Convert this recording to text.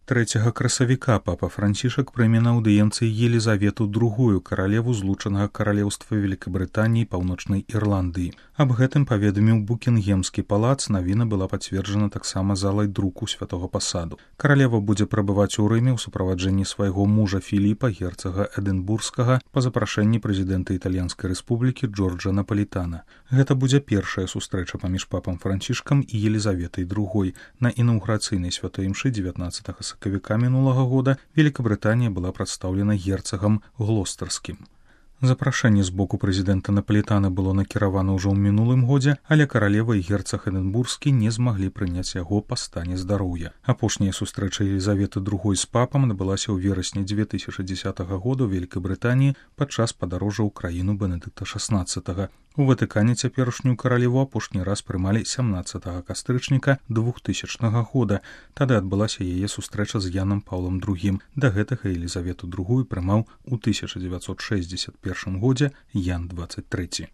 3 красавіка папа Францішак прыме на аўдыенцыі Елізавету II, каралеву злучанага каралеўства Великабрытаніі і Паўночнай Ірландыі. Аб гэтым паведаміў Букінгемскі палац, навіна была пацверджана таксама залай друку святого пасаду. Каралева будзе прабываць у Рыме ў суправаджэнні свайго мужа Філіпа, герцага Эдынбургскага, па запрашэнні прэзідэнта Італьянскай рэспублікі Джорджа Напалітана. Гэта будзе першая сустрэча паміж папам Францішкам і Елізаветай II. На інаўгурацыйнай святой імшы 19 сакавіка мінулага года Великабрытанія была прадстаўлена герцагам Глостарскім. Запрашэнне з боку прэзідэнта Напалітана было накіравана ўжо ў мінулым годзе, але каралева і герцаг Эдынбургскі не змаглі прыняць яго па стане здароўя. Апошняя сустрэча Елізаветы II з папам адбылася ў верасні 2010 года ў Великабрытаніі падчас падарожжа ў краіну Бенедыкта XVI. У Ватыкане цяперашнюю каралеву апошні раз прымалі 17 кастрычніка 2000 года. Тады адбылася яе сустрэча з Янам Паўлам II. Да гэтага Елізавету II прымаў у 1961 годзе Ян XXIII.